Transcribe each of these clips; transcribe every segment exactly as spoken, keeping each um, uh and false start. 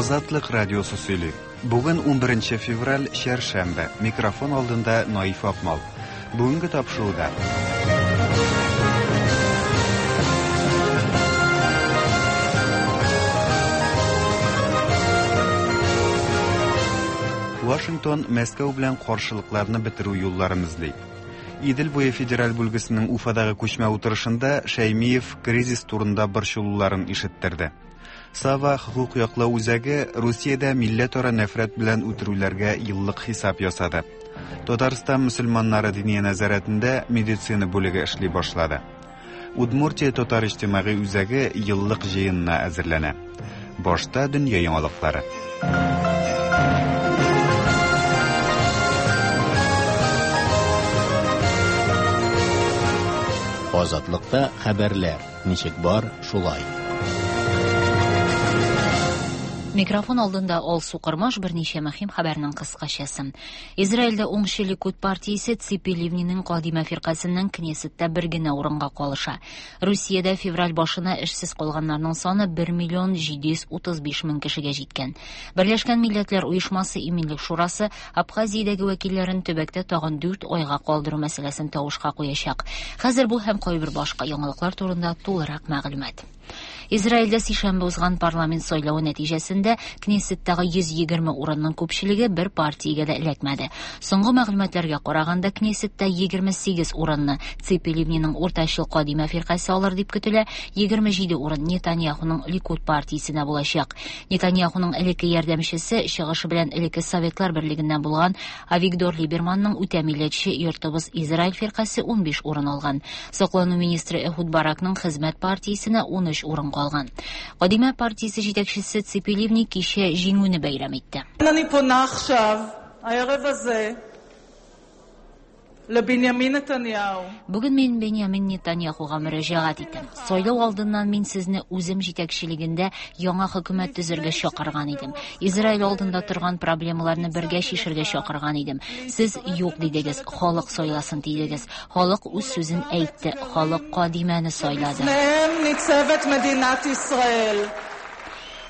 Азатлык радиосы сөйли. Бүген унберенче февраль, чәршәмбе. Микрофон алдында Наиф Акмал. Бүгенге тапшыруда. Вашингтон Мәскәү белән каршылыкларны бетерү юлларын эзли. Идел буе федераль бүлгесенең Уфадагы күчмә утырышында Шәймиев кризис турында борчылуларын ишеттерде. Сава хукук яклау үзәге Русиядә милләтара нәфрәт белән үтерүләргә еллык хисап ясады. Татарстан мөселманнары диния нәзарәтендә медицина бүлеге эшли башлады. Удмуртия татар иҗтимагый үзәге еллык җыенына әзерләнә. Башта дөнья яңалыклары. Азатлыкта хәбәрләр ничек бар, шулай. Микрофон алдында Алсу Кырмаш, берничә мөһим хәбәрнең кыскачасы. Израильдә уңчы Ликуд партиясе Ципи Ливниның Кадима фиркасеннән Кнессетта бер генә урынга калыша. Русиядә февраль башына эшсез калганнарның саны бер миллион җиде йөз утыз биш мең кешегә җиткән. Берләшкән Милләтләр Оешмасы Иминлек Шурасы Абхазиядәге вәкилләрен төбәктә тагын дүрт айга калдыру мәсьәләсен тавышка куячак. Хәзер бу һәм кайбер башка яңалыклар турында тулырак мәгълүмат. Израильдә сишәмбе узган парламент сайлавы нәтиҗәсендә Кнессеттагы йөз егерме урынның күпчелеге бер партиягә дә эләкмәде. Соңгы мәгълүматларга караганда Кнессетта егерме сигез урынны Ципи Ливниның уртачыл Кадима фиркасе алыр дип көтелә, егерме җиде урын Нетаньяхуның Ликуд партиясенә булачак. Нетаньяхуның элекке ярдәмчесе, чыгышы белән элекке Советлар берлегеннән булган Авигдор Либерманның үтә милләтче Йортыбыз Израиль фиркасе унбиш урын алган. Саклану министры Эхуд Баракның Хезмәт партиясенә ун өч урын калган. Кадима партиясе җитәкчесе Ципи Ливни кичә җиңүне бәйрәм итте. אני פונה עכשיו, הערב הזה, לבנימין נתניהו. Бүген мин Беньямин Нетаньяхуга мөрәҗәгать итәм. Сайлау алдыннан мин сезне үзем җитәкчелегендә яңа хөкүмәт төзергә чакырган идем. Израиль алдында торган проблемаларны бергә чишергә чакырган идем. Сез юк дидегез, халык сайласын дидегез. Халык үз сүзен әйтте, халык Кадимәне сайлады. לפניהם ניצבת מדינת ישראל.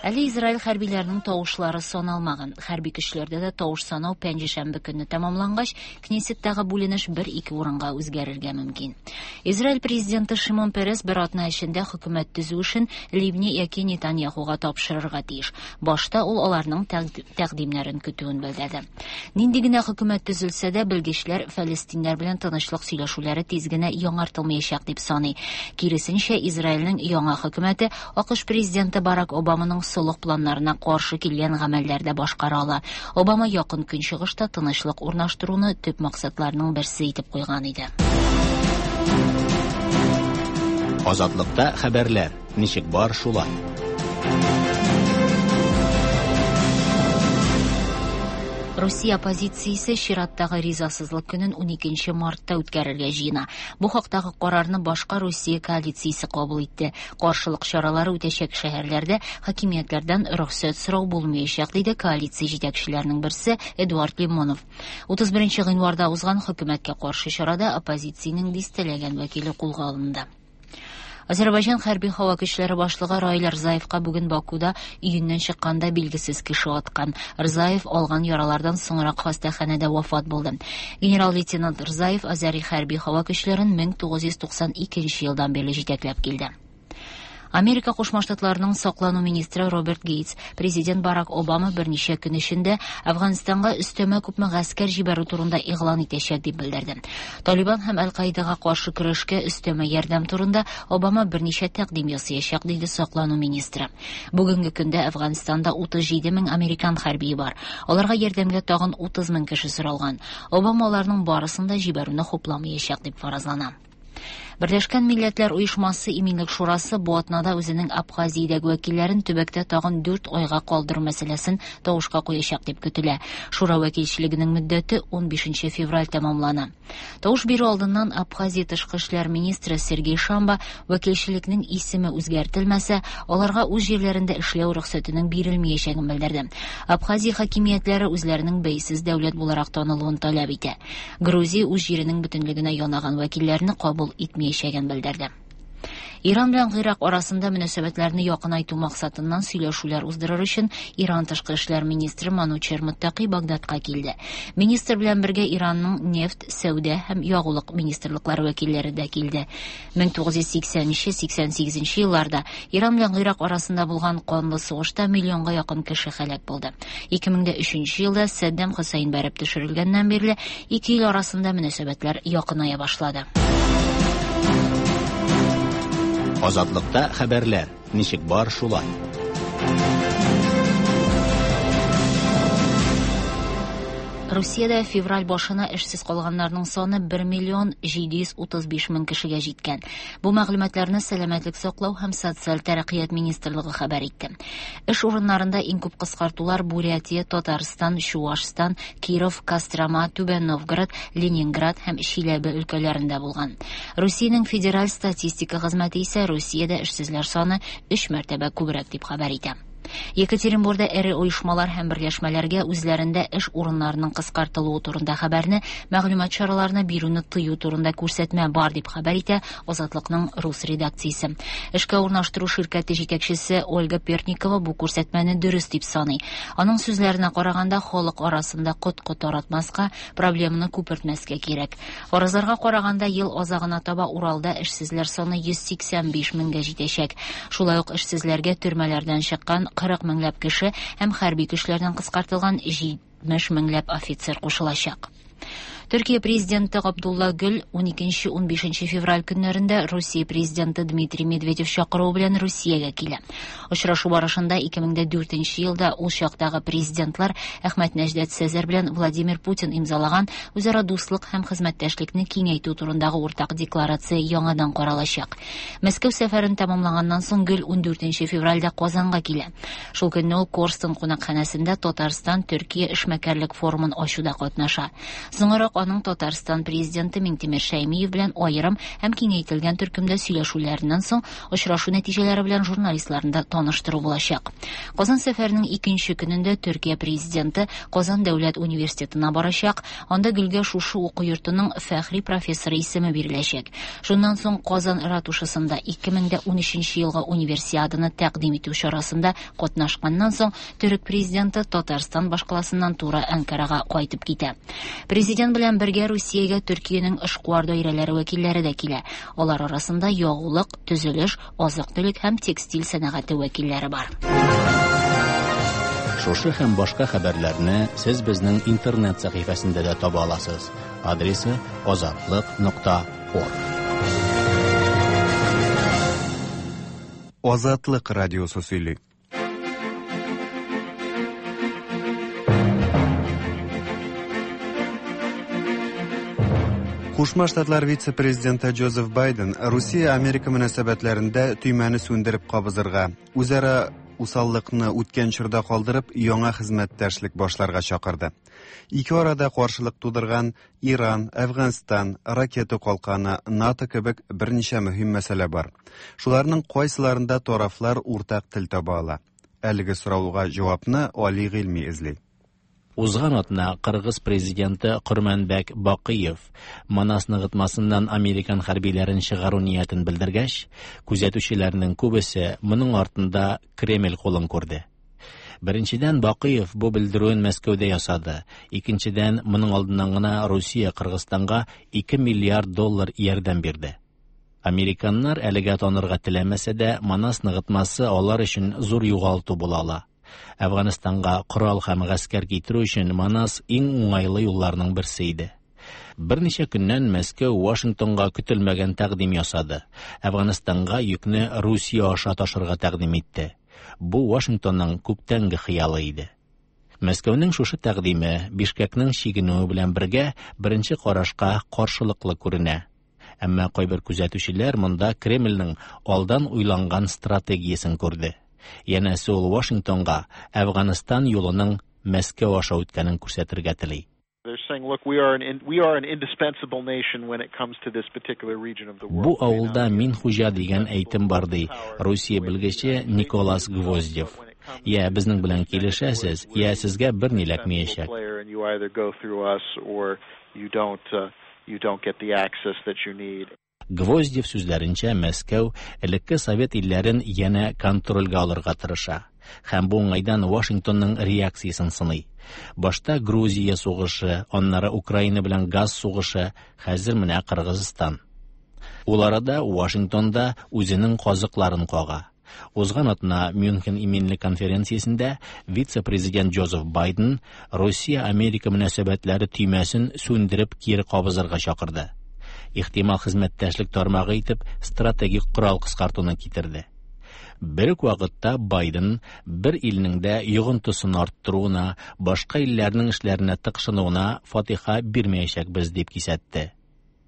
Әле Израиль хәрбиләренең тавышлары саналмаган. Хәрби көчләрдә дә тавыш санау пәнҗешәмбе көнне тәмамлангач, Кнессеттагы бүленеш бер-ике урынга үзгәрергә мөмкин. Израиль президенты Шимон Перес бер атна эчендә хөкүмәт төзү эшен Ливни яки Нетаньяхуга тапшырырга тиеш. Башта ул аларның тәкъ-, тәкъдимнәрен көтүен белдерде. Нинди генә хөкүмәт төзелсә дә, белгечләр фәлестиннәр белән тынычлык сөйләшүләре тиз генә яңартылмаячак дип саный. Киресенчә, Израильнең яңа хөкүмәте АКШ президенты Барак Обаманың солых планнарына каршы килгән гамәлләрдә башкара ала. Обама якын көнчыгышта тынычлык урнаштыруны төп максатларының берсе итеп куйган иде. Азатлыкта хәбәрләр ничек бар, шулай. Русия оппозициясе чираттагы ризасызлык көнен уникенче мартта үткәрергә җыена. Бу хактагы карарны башка Русия коалициясе кабул итте. Каршылык чаралары үтәчәк шәһәрләрдә хакимиятләрдән рөхсәт сорау булмаячак, диде коалиция җитәкчеләренең берсе Эдуард Лимонов. Утыз беренче гыйнварда узган хөкүмәткә каршы чарада оппозициянең дистәләгән вәкиле кулга алынды. Азербайҗан хәрби һава көчләре башлыгы Раил Рзаевка бүген Бакуда өеннән чыкканда билгесез кеше аткан. Рзаев алган яралардан соңрак хастаханәдә вафат булды. Генерал-лейтенант Рзаев Азәри хәрби һава көчләрен мең тугыз йөз туксан икенче елдан бирле җитәкләп килде. Америка Кушма Штатларының саклану министры Роберт Гейтс президент Барак Обама берничә көн эчендә Афганистанга өстәмә күпме гаскәр җибәрү турында игълан итәчәк дип белдерде. Талибан һәм Аль-Каидага каршы көрәшкә өстәмә ярдәм турында Обама берничә тәкъдим ясаячак, диде саклану министры. Бүгенге көндә Афганистанда утыз җиде мең американ хәрбие бар. Аларга ярдәмгә тагын утыз мең кеше соралган. Обама аларның барысын да җибәрүне хупламаячак дип фаразлана. Берләшкән Милләтләр Оешмасы Иминлек Шурасы бу атнада үзенең Абхазиядәге вәкилләрен төбәктә тагын дүрт айга калдыру мәсьәләсен тавышка куячак дип көтелә. Шура вәкилчелегенең мөддәте унбишенче февраль тәмамлана. Тавыш бирү алдыннан Абхазия тышкы эшләр министры Сергей Шамба вәкилчелекнең исеме үзгәртелмәсә, аларга үз җирләрендә эшләү рөхсәтенең бирелмәячәген белдерде. Абхазия хакимиятләре үзләренең бәйсез дәүләт буларак танылуын таләп итә. Грузия үз җиренең бөтенлегенә янаган вәкилләрне кабул итмәячәген белдерде. Иран белән Гыйрак арасында мөнәсәбәтләрне якынайту максатыннан сөйләшүләр уздырыр өчен Иран тышкы эшләр министры Манучер Муттаки Багдадка килде. Министр белән бергә Иранның нефть, сәүдә һәм ягулык министрлыклары вәкилләре дә килде. мең тугыз йөз сиксәненче сиксән сигезенче елларда Иран белән Гыйрак арасында булган канлы сугышта миллионга якын кеше һәлак булды. ике мең дә өченче елда Саддам Хөсәйн бәреп төшерелгәннән бирле ике ил арасында мөнәсәбәтләр якыная башлады. Азатлыкта хәбәрләр ничек бар шулай. Русиядә февраль башына эшсез калганнарның саны бер миллион җиде йөз утыз биш мең кешегә җиткән. Бу мәгълүматларны Сәламәтлек саклау һәм социаль тәрәккыят министрлыгы хәбәр итте. Эш урыннарында иң күп кыскартулар Бурятия, Татарстан, Чуашстан, Киров, Кострома, Түбән Новгород, Ленинград һәм Чиләбе өлкәләрендә булган. Русиянең федераль статистика хезмәте исә Русиядә эшсезләр саны өч мәртәбә күбрәк дип хәбәр итә. Екатеринбургда эре оешмалар һәм берләшмәләргә үзләрендә эш урыннарының кыскартылуы турында хәбәрне мәгълүмат чараларына бирүне тыю турында күрсәтмә бар дип хәбәр итә Азатлыкның рус редакциясе. Эшкә урнаштыру ширкәте җитәкчесе Ольга Перникова бу күрсәтмәне дөрес дип саный. Аның сүзләренә караганда, халык арасында коткы таратмаска, проблеманы күпертмәскә кирәк. Фаразларга караганда, ел азагына таба Уралда эшсезләр саны йөз сиксән биш меңгә җитәчәк. Шулай ук эшсезләргә төрмәләрдән чыккан кырык меңләп кеше һәм хәрби көчләрдән кыскартылган җитмеш меңләп офицер кушылачак. Төркия президенты Габдулла Гөл ун икенче ун бишенче февраль көннәрендә Русия президенты Дмитрий Медведев чакыруы белән Русиягә килә. Очрашу барышында ике мең дә дүртенче елда ул чактагы президентлар Әхмәт Нәҗдәт Сәзәр белән Владимир Путин имзалаган үзара дуслык һәм хезмәттәшлекне киңәйтү турындагы уртак декларация яңадан каралачак. Мәскәү сәфәрен тәмамлаганнан соң Гөл ун дүртенче февральдә Казанга килә. Шул көнне ул Корстон кунакханәсендә Татарстан Төркия эшмәкәрлек форумын ачуда катнаша. Соңрак аның Татарстан президенты Миңтимер Шәймиев белән аерым һәм киңәйтелгән төркемдә сөйләшүләреннән соң очрашу нәтиҗәләре белән журналистларны да таныштыру булачак. Казан сәфәренең икенче көнендә Төркия президенты Казан дәүләт университетына барачак. Анда Гөлгә шушы уку йортының фәхри профессоры исеме биреләчәк. Шуннан соң Казан ратушасында ике мең дә унөченче елгы универсиаданы тәкъдим итү чарасында катнашканнан соң Төрек президенты Татарстан башкаласыннан тура Анкарага кайтып китә. Президент белән бергә Русиягә Төркиянең эшкуар даирәләре вәкилләре дә килә. Алар арасында ягулык, төзелеш, азык-төлек һәм текстиль сәнәгате вәкилләре бар. Шушы һәм башка хәбәрләрне сез безнең интернет сәхифәсендә дә таба аласыз. Адресы азатлык нокта орг. Азатлык радиосы сөйли. Кушма Штатлар вице-президенты Джозеф Байден Русия-Америка мөнәсәбәтләрендә төймәне сүндереп кабызырга, үзара усаллыкны үткән чорда калдырып, яңа хезмәттәшлек башларга чакырды. Ике арада каршылык тудырган Иран, Әфганстан, ракета калканы, НАТО кебек берничә мөһим мәсьәлә бар. Шуларның кайсыларында тарафлар уртак тел таба ала? Әлеге сорауга җавапны Али Гыйльми эзли. Узган атна Кыргыз президенты Курманбек Бакыев Манас ныгытмасыннан американ хәрбиләрен чыгару ниятен белдергәч, күзәтүчеләрнең күбесе моның артында Кремль кулын күрде. Беренчедән, Бакыев бу белдерүен Мәскәүдә ясады. Икенчедән, моның алдыннан гына Русия Кыргызстанга ике миллиард доллар ярдәм бирде. Американнар әлегә танырга теләмәсә дә, Манас ныгытмасы алар өчен зур югалту була ала. Әфганстанга корал һәм гаскәр китерү өчен Манас иң уңайлы юлларның берсе иде. Берничә көннән Мәскәү Вашингтонга көтелмәгән тәкъдим ясады. Әфганстанга йөкне Русия аша ташырга тәкъдим итте. Бу Вашингтонның күптәнге хыялы иде. Мәскәүнең шушы тәкъдиме Бишкекнең чигенүе белән бергә беренче карашка каршылыклы күренә. Әмма кайбер күзәтүчеләр монда Кремльнең алдан уйланган стратегиясен күрде. Янәсе ул Вашингтонга Әфганстан юлының Мәскәү аша үткәнен күрсәтергә тели. They're saying, look, we are an in, we are an indispensable nation when it comes to this particular region of the world. Бу авылда мин хуҗа дигән әйтем бар, ди Русия белгече Николас Гвоздев. Я безнең белән килешәсез, я сезгә бер ни эләкмәячәк. And you either go through us or you don't, uh, you don't get the access that you need. Гвоздев сүзләренчә, Мәскәү элекке совет илләрен янә контрольгә алырга тырыша. Һәм бу уңайдан Вашингтонның реакциясен сыный. Башта Грузия сугышы, аннары Украина белән газ сугышы, хәзер менә Кыргызстан. Ул арада Вашингтонда үзенең казыкларын кага. Узган атна Мюнхен иминлек конференциясендә вице-президент Джозеф Байден Русия-Америка мөнәсәбәтләре төймәсен сүндереп кире кабызырга чакырды. Ихтимал хезмәттәшлек тармагы итеп стратегик корал кыскартуны китерде. Бер үк вакытта Байден бер илнең дә йогынтысын арттыруына, башка илләрнең эшләренә тыкшынуына фатиха бирмәячәкбез дип кисәтте.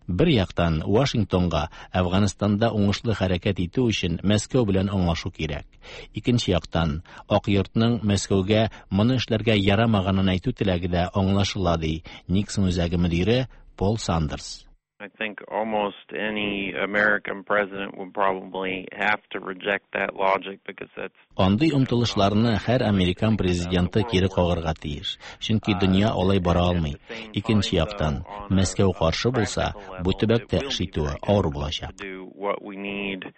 Бер яктан Вашингтонга Әфганстанда уңышлы хәрәкәт итү өчен Мәскәү белән аңлашу кирәк. Икенче яктан Ак йортның Мәскәүгә моны эшләргә ярамаганын әйтү теләге дә аңлашыла, ди Никсон үзәге мөдире Пол Сандерс. I think almost any American president would probably have to reject that logic because that's Андый омтылышларны һәр американ президенты кире кагарга тиеш, чөнки дөнья алай бара алмый. Икенче яктан, Мәскәү каршы булса, бу төбәктә эш итүе авыр булачак. do what we need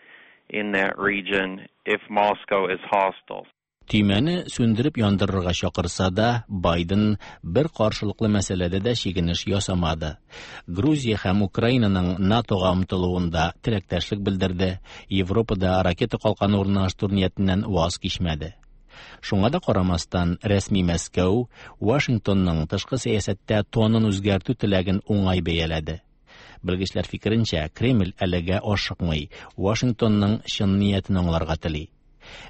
in that region if Moscow is hostile. Төймәне сүндереп яндырырга чакырса да, Байден бер каршылыклы мәсьәләдә дә чигенеш ясамады. Грузия һәм Украинаның НАТОга омтылуында теләктәшлек белдерде, Европада ракета калканы урнаштыру ниятеннән ваз кичмәде. Шуңа да карамастан, рәсми Мәскәү Вашингтонның тышкы сәясәттә тонын үзгәртү теләген уңай бәяләде. Белгечләр фикеренчә, Кремль әлегә ашыкмый, Вашингтонның чын ниятен аңларга тели.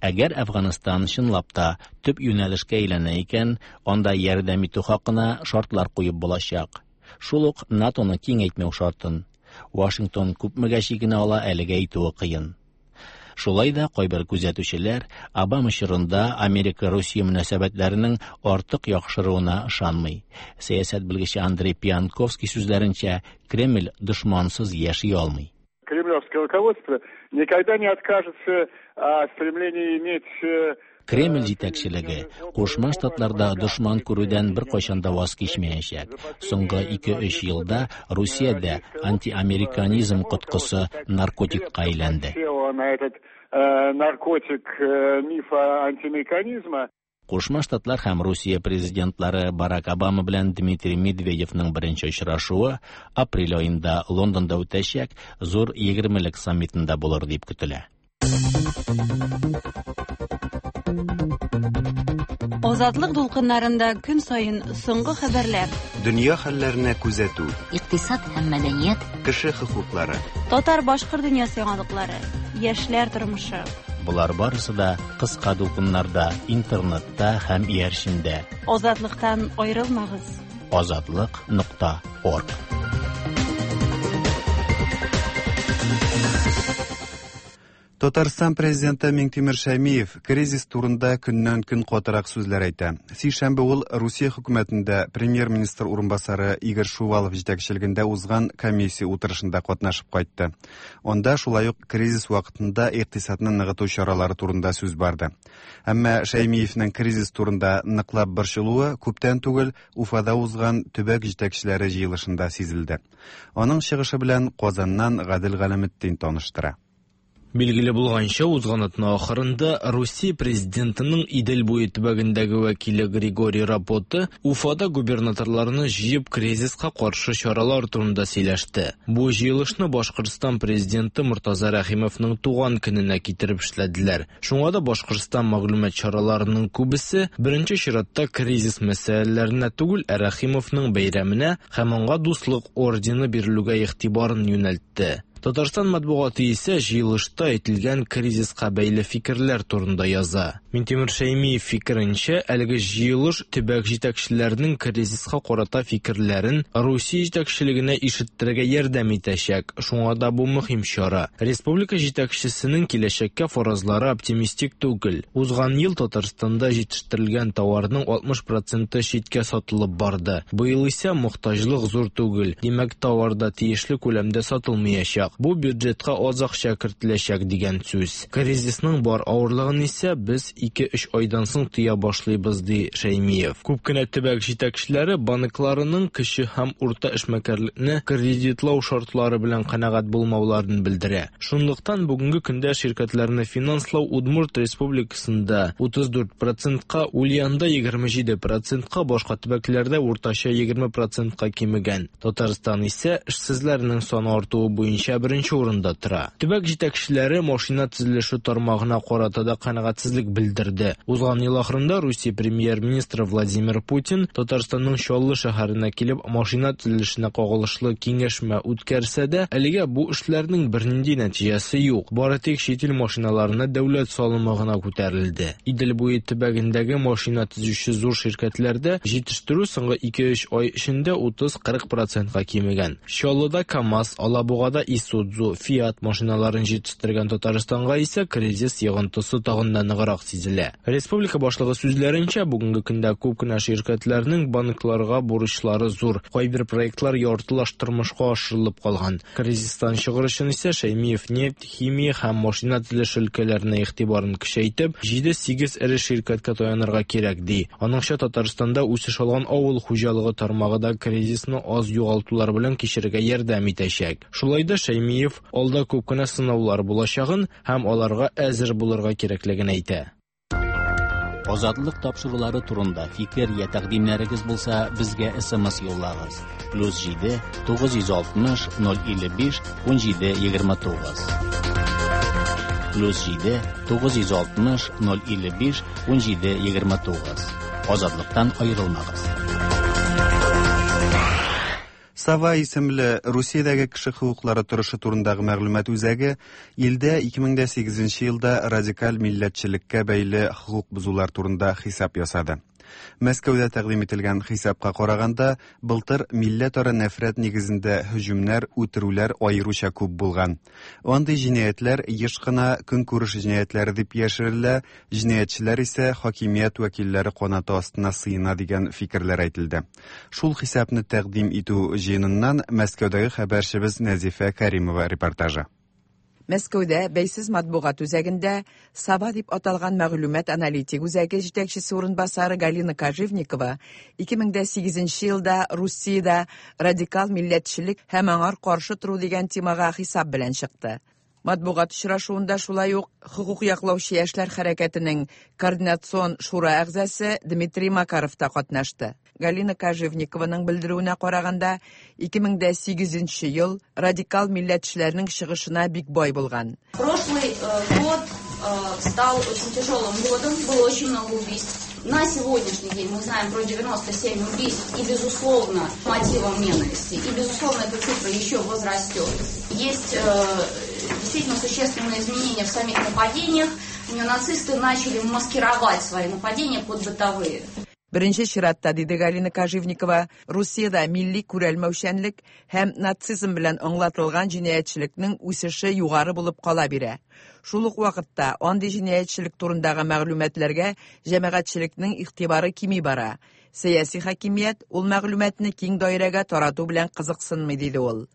Әгәр Әфганстан чынлап та төп юнәлешкә әйләнә икән, анда ярдәм итү хакына шартлар куеп булачак. Шул ук НАТОны киңәйтмәү шартын. Вашингтон күпмегә чигенә ала, әлегә әйтүе кыен. Шулай да кайбер күзәтүчеләр Обама чорында Америка-Русия мөнәсәбәтләренең артык яхшыруына ышанмый. Сәясәт белгече Андрей Пианковский сүзләренчә, Кремль дошмансыз яши алмый. Кремлевское руководство никогда не откажется от стремления иметь э, Кремль җитәкчелеге Кушма Штатларда дошман күрүдән беркайчан да ваз кичмәячәк. Соңгы ике-өч елда Русиядә антиамериканизм коткысы наркотикка әйләнде. села на этот э, наркотик э, мифа антиамериканизма. Кушма Штатлар һәм Русия президентлары Барак Обама белән Дмитрий Медведевның беренче очрашуы апрель аенда Лондонда үтәчәк зур егермелек саммитында булыр дип көтелә. Азатлык дулкыннарында көн саен соңгы хәбәрләр, Дөнья хәлләренә күзәтү, Икътисад һәм мәдәният, кеше хокуклары, татар-башкорт дөньясы яңалыклары, яшьләр тормышы. Болар барысы да кыска дулкыннарда, интернетта һәм иярчендә. Азатлыктан аерылмагыз. Азатлык нокта орг. Татарстан президенты Миңтимер Шәймиев кризис турында көннән-көн катырак сүзләр әйтә. Сишәмбе ул Русия хөкүмәтендә премьер-министр урынбасары Игорь Шувалов җитәкчелегендә узган комиссия утырышында катнашып кайтты. Анда шулай ук кризис вакытында икътисадны ныгыту чаралары турында сүз барды. Әмма Шәймиевнең кризис турында ныклап борчылуы күптән түгел Уфада узган төбәк җитәкчеләре җыелышында сизелде. Аның чыгышы белән Казаннан Гадел Галәметдин таныштыра. Билгеле булганча, узган атна ахырында Русия президентының Идел буе төбәгендәге вәкиле Григорий Рапота Уфада губернаторларны җыеп кризиска каршы чаралар турында сөйләште. Бу җыелышны Башкортстан президенты Мортаза Рәхимовның туган көненә китереп эшләделәр. Шуңа да Башкортстан мәгълүмат чараларының күбесе беренче чиратта кризис мәсьәләләренә түгел, ә Рәхимовның бәйрәменә һәм аңа дуслык ордены бирелүгә игътибарын юнәлтте. Татарстан матбугаты исә җыелышта әйтелгән кризиска бәйле фикерләр турында яза. Минтимер Шәймиев фикеренчә, әлеге җыелыш төбәк җитәкчеләренең кризиска карата фикерләрен Русия җитәкчелегенә ишеттерергә ярдәм итәчәк. Шуңа да бу мөһим чара. Республика җитәкчесенең киләчәккә фаразлары оптимистик түгел. Узган ел Татарстанда җитештерелгән товарның алтмыш проценты читкә сатылып барды. Быел исә мохтаҗлык зур түгел. Димәк, товар да тиешле күләмдә сатылмаячак. артачак. Бу бюджетка аз акча кертеләчәк дигән сүз. Кризисның бар авырлыгын исә без ике-өч айдан соң тоя башлыйбыз, ди Шәймиев. Күп кенә төбәк җитәкчеләре банкларының кече һәм урта эшмәкәрлекне кредитлау шартлары белән канәгать булмауларын белдерә. Шунлыктан бүгенге көндә ширкәтләрне финанслау Удмурт Республикасында утыз дүрт процентка, Ульянда егерме җиде процентка, башка төбәкләрдә уртача егерме процентка кимегән. Татарстан исә эшсезләрнең саны артуы буенча беренче урында тора. Төбәк җитәкчеләре машина төзелеше тармагына карата да канәгатьсезлек белдерде. Узган ел ахырында Русия премьер-министры Владимир Путин Татарстанның Чаллы шәһәренә килеп машина төзелешенә кагылышлы киңәшмә үткәрсә дә, әлегә бу эшләрнең бернинди нәтиҗәсе юк. Бары тик чит ил машиналарына дәүләт салымы гына күтәрелде. Идел буе төбәгендәге машина төзүче зур ширкәтләрдә җитештерү соңгы ике-өч ай эчендә утыз-кырык процентка кимегән. Чаллыда КАМАЗ, Алабугада Исудзу, Фиат машиналарын җитештергән Татарстанга исә кризис йогынтысы тагын да ныграк сизелә. Республика башлыгы сүзләренчә, бүгенге көндә күп кенә ширкәтләрнең банкларга бурычлары зур. Кайбер проектлар яртылаш тормышка ашырылып калган. Кризистан чыгыр өчен исә Шәймиев нефть, химия һәм машина төзелеше өлкәләренә игътибарын көчәйтеп, җиде-сигез эре ширкәткә таянырга кирәк, ди. Аныңча, Татарстанда үсеш алган авыл хуҗалыгы тармагы да кризисны аз югалтулар белән кичерергә ярдәм итәчәк. Шулай да Шәймиев алда күп кенә сынаулар булачагын һәм аларга әзер булырга кирәклеген әйтә. Азатлык тапшырулары турында фикер я тәкъдимнәрегез булса, безгә эс эм эс юллагыз. Плюс җиде тугыз йөз алтмыш ноль илле биш ун җиде егерме тугыз. Плюс җиде тугыз йөз алтмыш ноль илле биш ун җиде егерме тугыз. Азатлыктан аерылмагыз. Сава исемле Русиядәге кеше хокуклары торышы турындагы мәгълүмат үзәге илдә ике мең дә сигезенче елда радикаль милләтчелеккә бәйле хокук бозулар турында хисап ясады. Мәскәүдә тәкъдим ителгән хисапка караганда, былтыр милләтара нәфрәт нигезендә һөҗүмнәр, үтерүләр аеруча күп булган. Андый җинаятьләр еш кына көнкүреш җинаятьләре дип яшерелә, җинаятьчеләр исә хакимият вәкилләре канаты астына сыена дигән фикерләр әйтелде. Шул хисапны тәкъдим итү җыеныннан Мәскәүдәге хәбәрчебез Нәзифә Каримова репортажы. Мәскәүдә бәйсез матбугат үзәгендә Сава дип аталган мәгълүмат аналитик үзәге җитәкчесе урынбасары Галина Кожевникова ике мең дә сигезенче елда Русиядә радикал милләтчелек һәм аңар каршы тору дигән темага хисап белән чыкты. Матбугат очрашуында шулай ук хокук яклаучы яшьләр хәрәкәтенең координацион шура әгъзасы Дмитрий Макаров та катнашты. Галина Кожевникованың белдерүенә караганда, ике мең дә сигезенче ел радикал милләтчеләрнең чыгышына бик бай булган. Прошлый, э, год, э, стал очень тяжелым годом, было очень много убийств. На сегодняшний день мы знаем про девяносто семь убийств и, безусловно, мотивом ненависти. И, безусловно, эта цифра еще возрастет. Есть, э, действительно существенные изменения в самих нападениях. Неонацисты начали маскировать свои нападения под бытовые. Беренче чиратта, диде Галина Кожевникова, Русиядә милли күрәлмәүчәнлек һәм нацизм белән аңлатылган җинаятьчелекнең үсеше югары булып кала бирә. Шул ук вакытта андый җинаятьчелек турындагы мәгълүматларга җәмәгатьчелекнең игътибары кими бара. Сәяси хакимият ул мәгълүматны киң даирәгә тарату белән кызыксынмый, диде ул.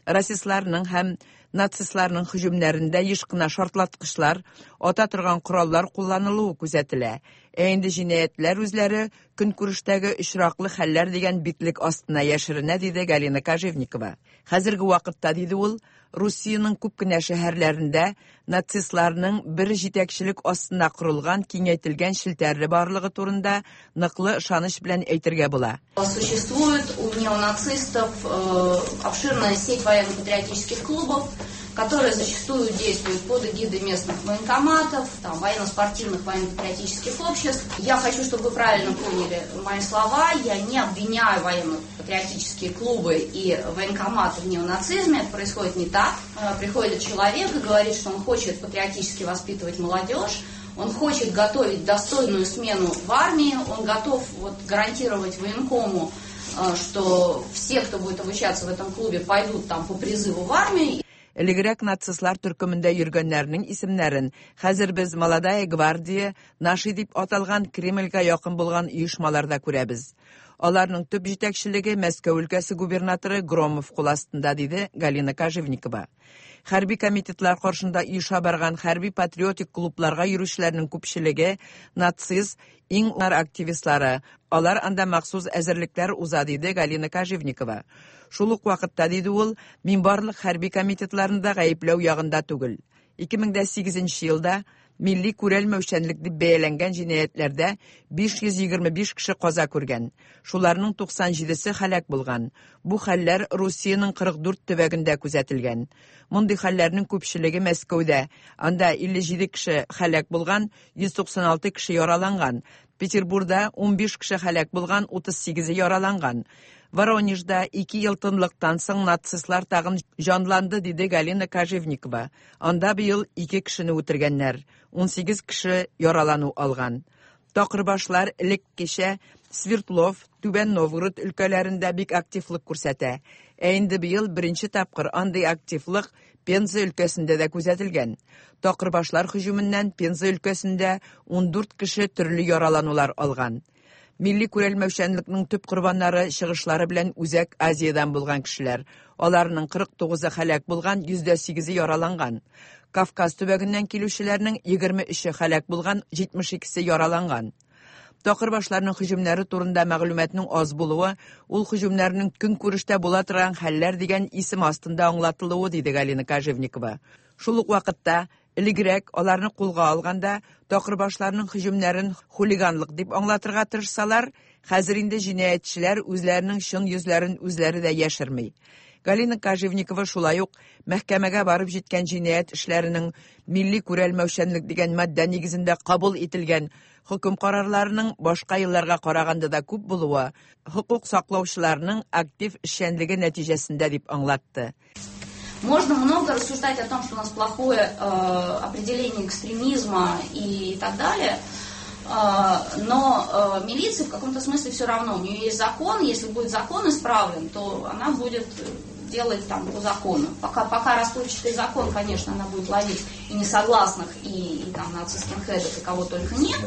Расистларның һәм нацистларның һөҗүмнәрендә еш кына шартлаткычлар, ата торган кораллар кулланылуы күзәтелә. Ә инде җинаятьләр үзләре көнкүрештәге очраклы хәлләр дигән битлек астына яшеренә, диде Галина Кожевникова. Хәзерге вакытта, диде ул, Русиянең күп кенә шәһәрләрендә нацистларның бер җитәкчелек астына корылган киңәйтелгән челтәрле барлыгы турында ныклы ышаныч белән әйтергә була. Существует у неонацистов, э, обширная сеть военно-патриотических клубов, которые зачастую действуют под эгидой местных военкоматов, там, военно-спортивных, военно-патриотических обществ. Я хочу, чтобы вы правильно поняли мои слова. Я не обвиняю военно-патриотические клубы и военкоматы в неонацизме. Это происходит не так. Э, приходит человек и говорит, что он хочет патриотически воспитывать молодежь, он хочет готовить достойную смену в армии, он готов вот, гарантировать военкому, э, что все, кто будет обучаться в этом клубе, пойдут там по призыву в армию. Элегрәк нацистлар төркемендә йөргәннәрнең исемнәрен хәзер без Молодая гвардия, Наши дип аталган Кремльгә якын булган оешмаларда күрәбез. Аларның төп җитәкчелеге Мәскәү өлкәсе губернаторы Громов кул астында, диде Галина Кожевникова. Хәрби комитетлар каршында оеша барган хәрби патриотик клубларга йөрүчеләрнең күпчелеге нацист, иң активистлары. Алар анда махсус әзерлекләр уза, диде Галина Кожевникова. Шул ук вакытта, диде ул, мин барлык хәрби комитетларны да гаепләү ягында түгел. ике мең дә сигезенче елда милли күрәлмәүчәнлек дип бәяләнгән җинаятьләрдә биш йөз егерме биш кеше каза күргән. Шуларның туксан җидесе һәлак булган. Бу хәлләр Русиянең кырык дүрт төбәгендә күзәтелгән. Мондый хәлләрнең күпчелеге Мәскәүдә. Анда илле җиде кеше һәлак булган, йөз туксан алты кеше яраланган. Петербургда унбиш кеше һәлак булган, утыз сигезе яраланган. Воронежда ике ел тынлыктан соң нацистлар тагын җанланды, диде Галина Кожевникова. Анда быел ике кешене үтергәннәр, унсигез кеше яралану алган. Такырбашлар элеккечә Свердлов, Түбән Новгород өлкәләрендә бик активлык күрсәтә. Ә инде быел беренче тапкыр андый активлык Пенза өлкәсендә дә күзәтелгән. Такырбашлар һөҗүменнән Пенза өлкәсендә ундүрт кеше төрле яраланулар алган. Милли күрәлмәүчәнлекнең төп корбаннары чыгышлары белән Үзәк Азиядән булган кешеләр. Аларның кырык тугызы һәлак булган, йөз дә сигезе яраланган. Кавказ төбәгеннән килүчеләрнең егерме өче һәлак булган, җитмеш икесе яраланган. Такырбашларның һөҗүмнәре турында мәгълүматның аз булуы, ул һөҗүмнәрнең көнкүрештә була торган хәлләр дигән исем астында аңлатылуы, диде Галина Кожевникова. Шул ук вакытта элегрәк аларны кулга алганда такырбашларның һөҗүмнәрен хулиганлык дип аңлатырга тырышсалар, хәзер инде җинаятьчеләр үзләренең чын йөзләрен үзләре дә яшерми. Галина Кожевникова шулай ук мәхкәмәгә барып җиткән җинаять эшләренең милли күрәлмәүчәнлек дигән маддә нигезендә кабул ителгән хөкем карарларының башка елларга караганда да күп булуы хокук саклаучыларның актив эшчәнлеге нәтиҗәсендә дип аңлатты. Можно много рассуждать о том, что у нас плохое э, определение экстремизма и так далее, э, но э, милиция в каком-то смысле все равно. У нее есть закон, если будет закон исправлен, то она будет делать там по закону. Пока, пока расплывчатый закон, конечно, она будет ловить и несогласных, и, и там нацистских хедов, и кого только нет.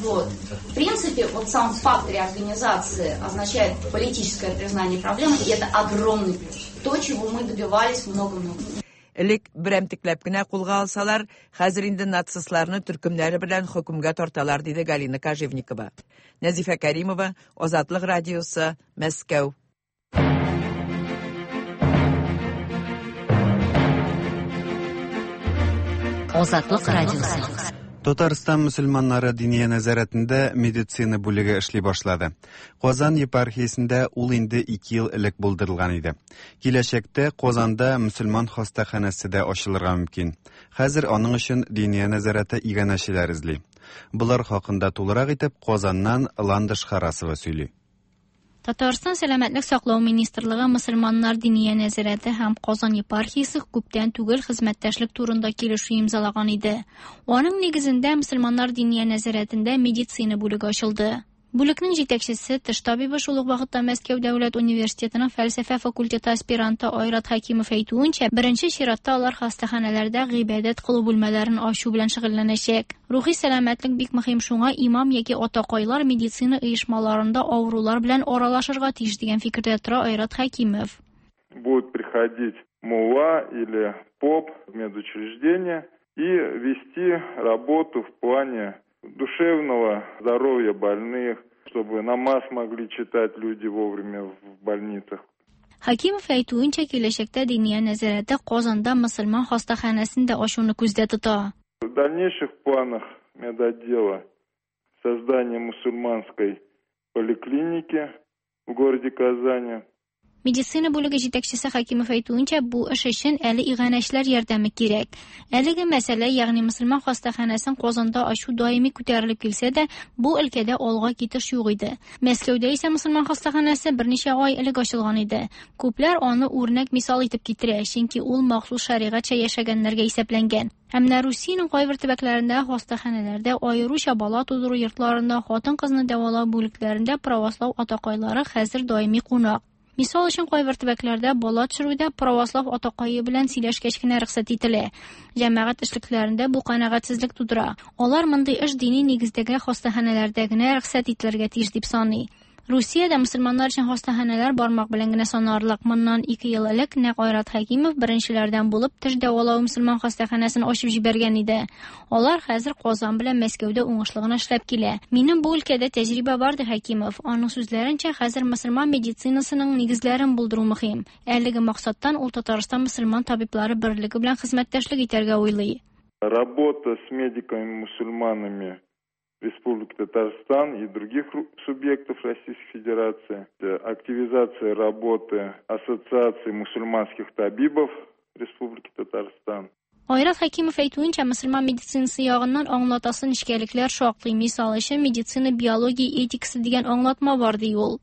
Вот. В принципе, вот сам факт реорганизации означает политическое признание проблемы, и это огромный плюс. То, чего мы добивались много-много. Элек берәмтекләп кенә кулга алсалар, хәзер инде нацистларны төркемнәре белән хөкемгә тарталар, диде Галина Кожевникова. Нәзифә Кәримова, Азатлык радиосы, Мәскәү. Азатлык радиосы. Татарстан мөселманнары диния нәзарәтендә медицина бүлеге эшли башлады. Казан епархиясендә ул инде ике ел элек булдырылган иде. Киләчәктә Казанда мөселман хастаханәсе дә ачылырга мөмкин. Хәзер аның өчен диния нәзарәте иганәчеләр эзли. Булар хакында тулырак итеп Казаннан Ландыш Харасова сөйли. Татарстан Сәламәтлек саклау министрлыгы мөселманнар диния нәзарәте һәм Казан епархиясе күптән түгел хезмәттәшлек турында килешү имзалаган иде. Аның нигезендә мөселманнар диния нәзарәтендә медицина бүлеге ачылды. Бүлекнең җитәкчесе, теш табибы, шул ук вакытта Мәскәү дәүләт университетының фәлсәфә факультеты аспиранты Айрат Хәкимов әйтүенчә, беренче чиратта алар хастаханәләрдә гыйбадәт кылу бүлмәләрен ачу белән шөгыльләнәчәк. Рухи сәламәтлек бик мөһим, шуңа имам яки атакайлар медицина оешмаларында авырулар белән аралашырга тиеш дигән фикердә тора Айрат Хәкимов. Будут приходить мулла или поп в медучреждение и вести работу в плане душевного здоровья больных, чтобы намаз могли читать люди вовремя в больницах. Хәкимов әйтүенчә, киләчәктә диния нәзарәте Казанда мөселман хастаханәсен дә ачуны күздә тота. В дальнейших планах медотдела создание мусульманской поликлиники в городе Казани. Медицина бүлеге җитәкчесе Хәкимов әйтүенчә, бу эш өчен әле иганәчеләр ярдәме кирәк. Әлеге мәсьәлә, ягъни мөселман хастаханәсен Казанда ачу даими күтәрелеп килсә дә, бу өлкәдә алга китеш юк иде. Мәскәүдә исә мөселман хастаханәсе берничә ай элек ачылган иде. Күпләр аны үрнәк мисал итеп китерә, чөнки ул махсус шәригатьчә яшәгәннәргә исәпләнгән. Ә менә Русиянең кайбер төбәкләрендә хастаханәләрдә, аеруча бала тудыру йортларында, хатын-кызны дәвалау бүлекләрендә православ атакайлары хәзер даими кунак. Мисал өчен, кайбер төбәкләрдә бала төшерүдә православ атакайы белән сөйләшкәч кенә рөхсәт ителә. Җәмәгать эшлекләрендә бу канәгатьсезлек тудыра. Алар мондый эш дини нигездәге хастаханәләрдә генә рөхсәт ителергә тиеш дип саный. Русиядә мөселманнар өчен хастаханәләр бармак белән генә санарлык. Моннан ике ел элек нәкъ Айрат Хәкимов беренчеләрдән булып теш дәвалау мөселман хастаханәсен ачып җибәргән иде. Алар хәзер Казан белән Мәскәүдә уңышлы гына эшләп килә. Минем бу өлкәдә тәҗрибә бар, ди Хәкимов. Аның сүзләренчә, хәзер мөселман медицинасының нигезләрен булдыру мөһим. Әлеге максаттан ул Татарстан мөселман табиблары берлеге белән хезмәттәшлек итәргә уйлый. Работа с медиками-мусульманами Республики Татарстан и других субъектов Российской Федерации, активизация работы Ассоциации мусульманских табибов Республики Татарстан. Айрат Хәкимов әйтүенчә, мөселман медицинасы ягыннан аңлатасы нечкәлекләр шактый. Мисал өчен, медицина биология этикасы дигән аңлатма бар, ди ул.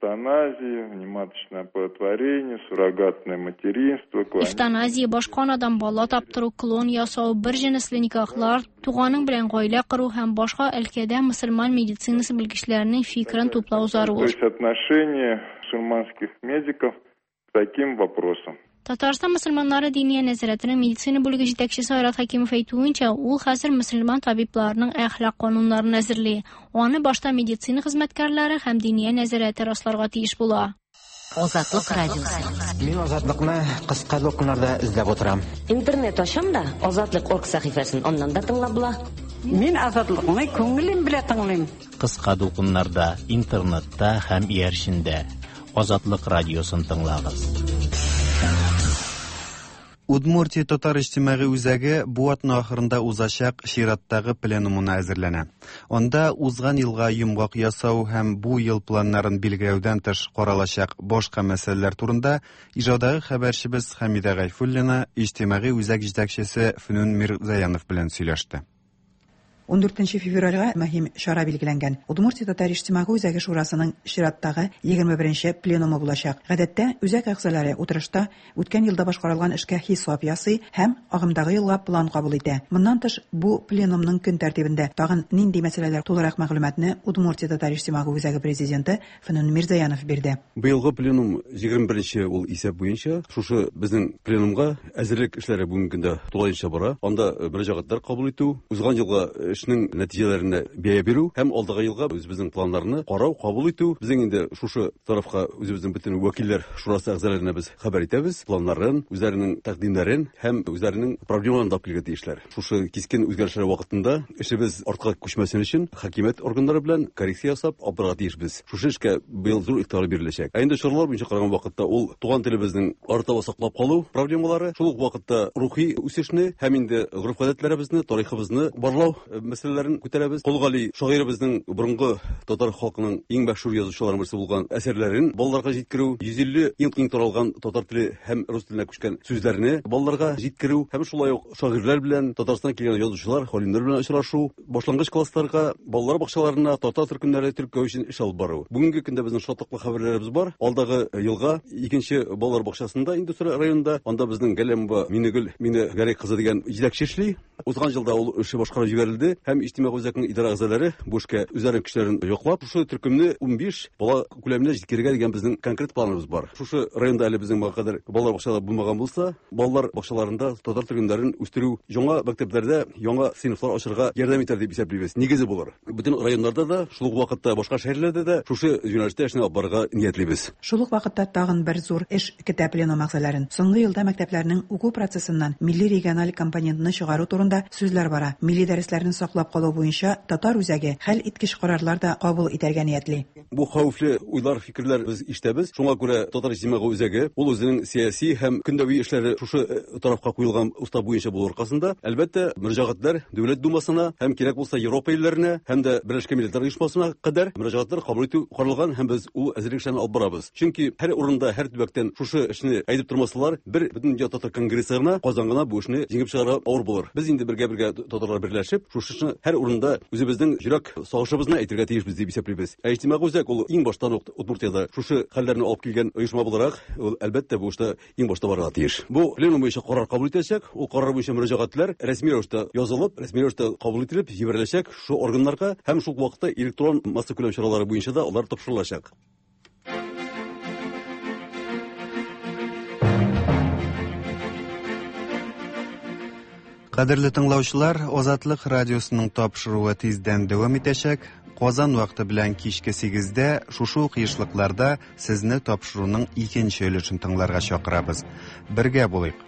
Эвтаназия, внематочное оплодотворение, суррогатное материнство, клон... Эвтаназия, башка анадан бала таптыру, клон ясау, бер җенесле никахлар, туганың белән гаилә кору һәм башка өлкәдә мөселман медицинасы белгечләренең фикерен туплау зарур. То есть отношение мусульманских медиков к таким вопросам. Татарстан мөселманнары диния нәзарәтенең медицина бүлеге җитәкчесе Айрат Хәкимов әйтүенчә, ул хәзер мөселман табибларының әхлак кануннарын әзерли. Аны башта медицина хезмәткәрләре һәм диния нәзарәте расларга тиеш була. Азатлык радиосы. Мин Азатлыкны кыска дулкыннарда эзләп утырам. Интернет ачам да Азатлык орг сәхифәсен аннан да тыңлап була. Мин Азатлыкны күңелем белән тыңлыйм. Кыска дулкыннарда, интернетта һәм иярчендә Азатлык радиосын тыңлагыз. Удмуртия татар иҗтимагый үзәге бу атна ахырында узачак чираттагы пленумына әзерләнә. Анда узган елга йомгак ясау һәм бу ел планнарын билгеләүдән тыш каралачак башка мәсьәләләр турында Ижаудагы хәбәрчебез Хәмидә Гайфуллина иҗтимагый үзәк җитәкчесе Фөнүн Мирзаянов белән сөйләште. ун дүртенче февральгә мөһим чара билгеләнгән. Удмуртия татар иҗтимагый үзәге шурасының чираттагы егерме беренче пленумы булачак. Гадәттә, үзәк әгъзалары утырышта үткән елда башкарылган эшкә хисап ясый һәм агымдагы елга план кабул итә. Моннан тыш, бу пленумның көн тәртибендә тагын нинди мәсьәләләр тулырак мәгълүматны Удмуртия татар иҗтимагый үзәге президенты Фөнүн Мирзаянов бирде. Быелгы пленум егерме беренче ул исәп буенча шушы безнең пленумга әзерлек эшләре бүгенге көндә тулаенча бара. Анда мөрәҗәгатьләр кабул итү, узган елга эшнең нәтиҗәләренә бәя бирү һәм алдагы елга үзебезнең планнарны карау, кабул итү. Безнең инде шушы тарафка үзебезнең бөтен вәкилләр шурасы әгъзаларына без хәбәр итәбез, планнарын, үзләренең тәкъдимнәрен һәм үзләренең проблемаларын да килергә тиешләр. Шушы кискен үзгәрешләр вакытында эшебез артка күчмәсен өчен хакимият органнары белән коррекция ясап алып барырга тиешбез. Шушы эшкә быел зур игътибар биреләчәк. Ә инде чаралар буенча караган вакытта ул туган телебезнең арытаба саклап калу проблемалары, шул ук вакытта рухи үсешне һәм инде гореф-гадәтләребезне, тарихыбызны барлау мәсьәләләрен күтәрәбез. Кол Гали шагыйребезнең борынгы татар халкының иң мәшһүр язучыларының берсе булган әсәрләрен балаларга җиткерү, йөз илле иң киң таралган татар теле һәм рус теленә күчкән сүзләрне балаларга җиткерү һәм шулай ук шагыйрьләр белән Татарстаннан килгән язучылар, галимнәр белән очрашу, башлангыч классларга, балалар бакчаларына татар төркемнәре теркәү өчен эш алып бару. Бүгенге көндә безнең шатлыклы хәбәрләребез бар. Алдагы елга икенче балалар бакчасында Индустрия районында, анда безнең Галәмова Минегөл Мине Гәрәй кызы дигән җитәкче эшли. Узган елда ул эше башкарып җибәрелде һәм иҗтимагый үзәкнең идарә әгъзалары бу эшкә үзләренең көчләрен яклап, шушы төркемне унбиш бала күләменә җиткерергә дигән безнең конкрет планыбыз бар. Шушы районда әле безнең моңа кадәр балалар бакчалары булмаган булса, балалар бакчаларында татар төркемнәрен үстерү, яңа мәктәпләрдә яңа сыйныфлар ачырга ярдәм итәр дип исәплибез. Нигезе булыр. Бөтен районнарда да, шул ук вакытта башка шәһәрләрдә дә шушы юнәлештә эшне алып барырга ниятлибез. Шул ук вакытта тагын бер зур эш көтә пленум әгъзаларын. Соңгы елда мәктәпләрнең уку процессыннан милли региональ компонентны чыгару турында сүзләр бара. Милли дәресләрне саклап калу буенча татар үзәге хәл иткеч карарлар да кабул итәргә ниятли. Бу хәвефле уйлар, фикерләр без ишетәбез. Шуңа күрә татар иҗтимагый үзәге ул үзенең сәяси һәм көндәви эшләре шушы тарафка куелган устав буенча булу аркасында, әлбәттә, мөрәҗәгатьләр Дәүләт Думасына һәм кирәк булса Европа илләренә һәм дә Берләшкән Милләтләр Оешмасына кадәр мөрәҗәгатьләр кабул итү каралган һәм без ул әзерлек эшләрен алып барабыз. Чөнки һәр урында, һәр төбәктән шушы эшне әйтеп тормасалар, бер Бөтендөнья татар конгрессы гына, Казан гына бу эшне җиңеп чыгарга авыр булыр. Без инде бергә-бергә татарлар берләшеп, шушы эшне һәр урында үзебезнең йөрәк сагышыбызны әйтергә тиешбез дип исәплибез. Ә иҗтимагый үзәк ул иң баштан ук Удмуртиядә шушы хәлләрне алып килгән оешма буларак, ул әлбәттә бу эштә иң башта барырга тиеш. Бу пленум буенча карар кабул ителәчәк. Ул карар буенча мөрәҗәгатьләр рәсми рәвештә язылып, рәсми рәвештә кабул ителеп җибәреләчәк шушы органнарга һәм шул вакытта электрон массакүләм чаралары буенча да алар тапшырылачак. Кадерле тыңлаучылар, Азатлык радиосының тапшыруы тиздән дәвам итәчәк. Казан вакыты белән кичке сигездә шушы ук ешлыкларда сезне тапшыруның икенче өлешен тыңларга чакырабыз. Бергә булыйк!